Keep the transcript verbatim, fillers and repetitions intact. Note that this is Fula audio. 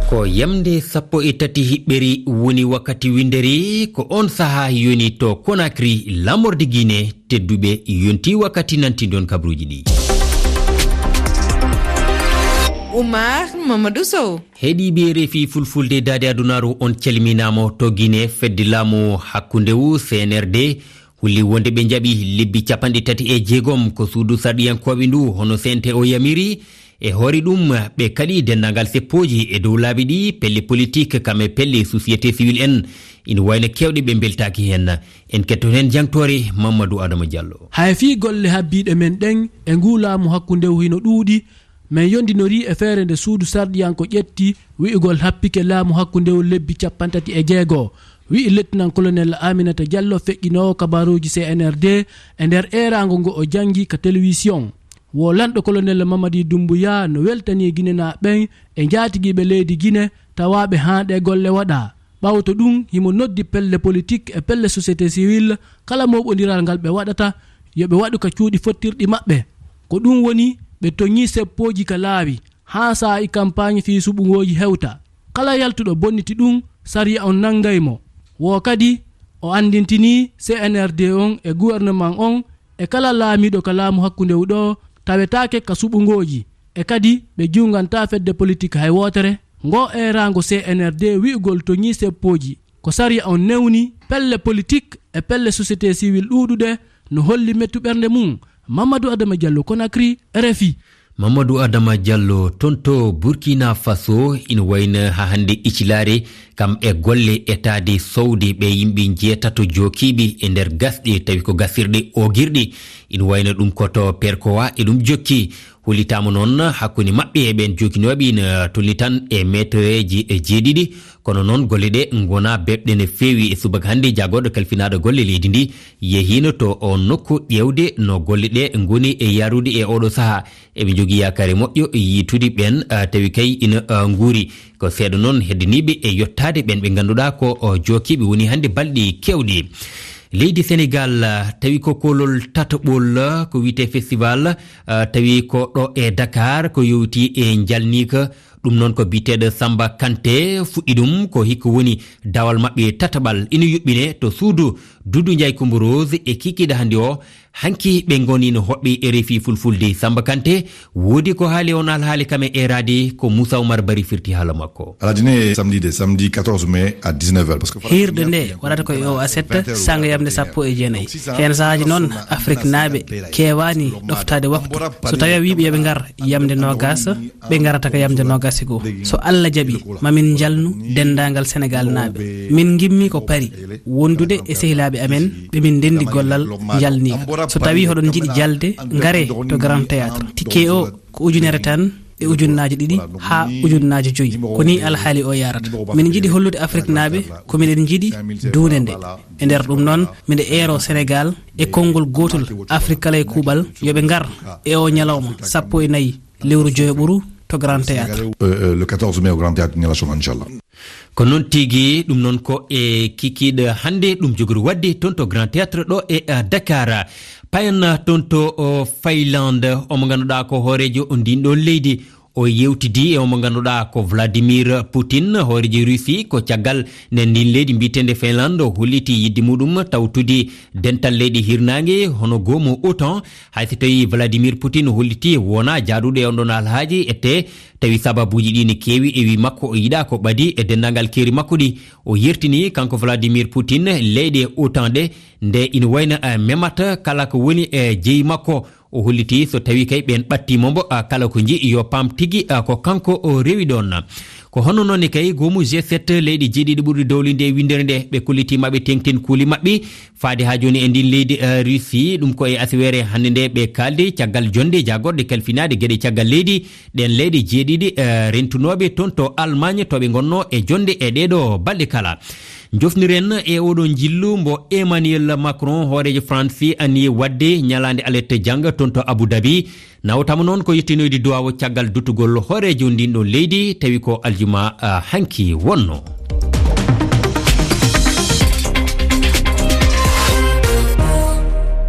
Ko yamnde sappo e tati hiɓɓeri woni wakkati winndere, ko on sahaa yoni to Conakry, laamorde Guinée. Tedduɓe, yonti wakkati nantinɗon kabruuji ɗi. Oumar Mamadou Sow. Heɗiiɓe R F I Fulfulde Daade Adunaaru, on calminaama to Guinée. Fedde laamu hakkundewu, C N R D, holli wonde ɓe njaɓi lebbi capanɗe tati e jeegom ko suudu sarɗiyankooɓe ndu, hono C N T O yamiri. E hoore ɗum, ɓe kaɗi denndaangal seppooji e dow laabi ɗi, pelle politik, kam e pelle société civile en. Ina wayno keewɗe ɓe mbeltaaki heen. En ketto heen jangtoore Mamadou Adama Diallo. Hay fii golle habbiiɗe men ɗen e nguu laamu hakkundewu hino ɗuuɗi, men yondinorii e feere nde suudu sarɗiyanko ƴetti, wi'ugol happike laamu hakkundewu lebbi capanɗe tati e jeego, wi'i Lieutenant Colonel Aminata Diallo, feƴƴinoowo kabaruuji C N R D, e nder eeraango ngo o jangi ka telewisiyon. Wo lanɗo Colonel Mamadi Doumbouya no weltanii Ginenaaɓe ɓen e njaatigiiɓe leydi Gine tawaaɓe haa ɗee golle waɗaa. Ɓawto ɗum, himo noddi pelle politik e pelle société civile, kala mooɓondiral ngal ɓe waɗata, yo ɓe waɗu ka cuuɗi fottirɗi maɓɓe. Ko ɗum woni, ɓe toñii seppooji ka laawi, haa saa'i kampaañ fii suɓungooji hewta. Kala yaltuɗo bonniti ɗum, sariya on nanngay mo. Wo kadi, o anndintinii C N R D on e gouvernement on e kala laamiiɗo ka laamu hakkundewu ɗoo tawetaake ka suɓungooji, e kadi ɓe juungantaa fedde politik hay wootere. Ngoo eeraango C N R D wi'ugol toñii seppooji, ko sariya on newni, pelle politik e pelle société civile ɗuuɗuɗe no holli mettu ɓernde mum. Mamadou Adama Diallo, Conakry, R F I. Mamadou Adama Diallo, toon to Burkina Faso, ina wayno haa hannde Icilaare, kam e golle etaade sowde ɓe yimɓe njeetato jookiiɓe e nder gasɗe, tawi ko gasirɗe oogirɗe. Ina wayno ɗum ko to Perkowa e ɗum jokki. Hollitaama noon hakkunde maɓɓe e ɓeen jookinooɓe ina tolni tan e meetereeji e jeeɗiɗi. Kono noon, golle ɗe ngonaa beɓɗe no feewi. E subaka hannde, jaagorɗo kalfinaaɗo golle leydi ndi yehiino to oon nokku ƴeewde no golle ɗe ngoni e yahrude e ooɗo sahaa. Eɓe njogii yaakaare moƴƴo yiitude ɓeen, ah, tawi kay ina, ah, nguuri. Ko seeɗa noon heddaniiɓe e yottaade ɓeen ɓe ngannduɗaa ko, oh, jookiiɓe woni hannde balɗe keewɗe. Leydi Senegaal, ah, tawi ko koolol tataɓol, ah, ko wiyetee festival, ah, tawi ko ɗo e Dakar, ko yowti e njalniika. Ɗum noon ko biyeteeɗo Samba Kanté fuɗɗi ɗum, ko hikka woni dawal maɓɓe tataɓal. Ina yuɓɓine to suudu Doudou Ndiaye Coumba Rose e kikiiɗe hannde o. Hanki ɓe ngoni no hoɓɓe R F I Fulfulde. Samba Kanté, woodi ko haali on alhaali kam e eeraade, ko Moussa Oumar Bari firti haala makko. Aladine, samedi de, samedi quatorze mai à dix-neuf heures, parce que hiirde nde waɗata ko e o aset, sanga yamde sappo e jeenayi. Heen sahaaji noon, Afriknaaɓe keewaani ɗoftaade waktu. So tawi a wii ɓe yo ɓe ngar yamde noogas, ɓe ngarata ko yamde noogas e goo. So Allah jaɓi, ma min njalnu denndaangal Senegaalnaaɓe. Min ngimmi ko Pari, wondude e sehilaaɓe amen ɓe min ndenndi gollal njalniika. So tawi hoɗon njiɗi jalde, ngaree to Grand Théâtre. Ticket o ko ujunere tan e ujunnaaje ɗiɗi haa ujunnaaje joyi. Ko nii alhaali o yaarata. Min njiɗi hollude Afriknaaɓe ko miɗen njiɗi duunde nde. E nder ɗum noon, miɗo eero Senegaal e konngol gootol, Afrik kala e kuuɓal, yo ɓe ngar e o ñalawma sappo e nayi lewru joyoɓuru to Grand Théâtre. Euh, euh, le quatorze mai au Grand Théâtre Nialasson, inchallah. Ko noon tigi, ɗum noon ko e kikiiɗe hannde ɗum jogori waɗde toon to Grand Théâtre ɗo e, eh, Dakar. Payen toon to, o, Finlande, omo ngannduɗaa ko hooreejo ndin ɗoon leydi. O yewtidi e omo ngannduɗaa ko Vladimir Putin, hooreejo Russie, ko caggal nde ndin leydi mbiyeteende Finlande o holliti yiɗde muɗum tawtude dental leyɗe hirnaange hono goomu OTAN. Hay so tawi Vladimir Putin holliti wona jaaduɗo e on ɗon alhaaji ette, tawi sababuuji ɗi ne keewi e wi makko o yiɗaa ko ɓadi e denndaangal keeri makko ɗi. O yertini kanko Vladimir Putin leyɗe OTAN ɗe nde ina wayno, eh, memata kala ko woni e jeyi makko. O holliti so tawi kay ɓeen ɓattiima mbo, ah, kala ko njiɗi yo paam tigi, ah, ko kanko o rewi ɗoon. Ko hono noon ne kay goomu G sept leyɗe jeeɗiɗi ɓurɗe dowlinde e winndere nde ɓe kolliti maɓɓe teŋtin kuuli maɓɓe. Faade haa jooni e ndin leydi, eh, Russie, ɗum ko e asiwere hannde nde ɓe kaaldi caggal jonnde jaagorɗe kalfinaade geɗe caggal leydi. Ɗeen leyɗe jeeɗiɗi, eh, rentunooɓe toon to Allemagne to ɓe ngonnoo e jonnde e ɗeeɗo balɗe kala. Njofniren e oɗo njillu mbo Emmanuel Macron, hooreejo France, ani waɗde ñalaande alet jannga toon to Abu Dhabi. Nawtama noon ko yettinoyde duwaawo caggal duttugol hooreejo ndin ɗon leydi, tawi ko aljuma, ah, hanki wonno.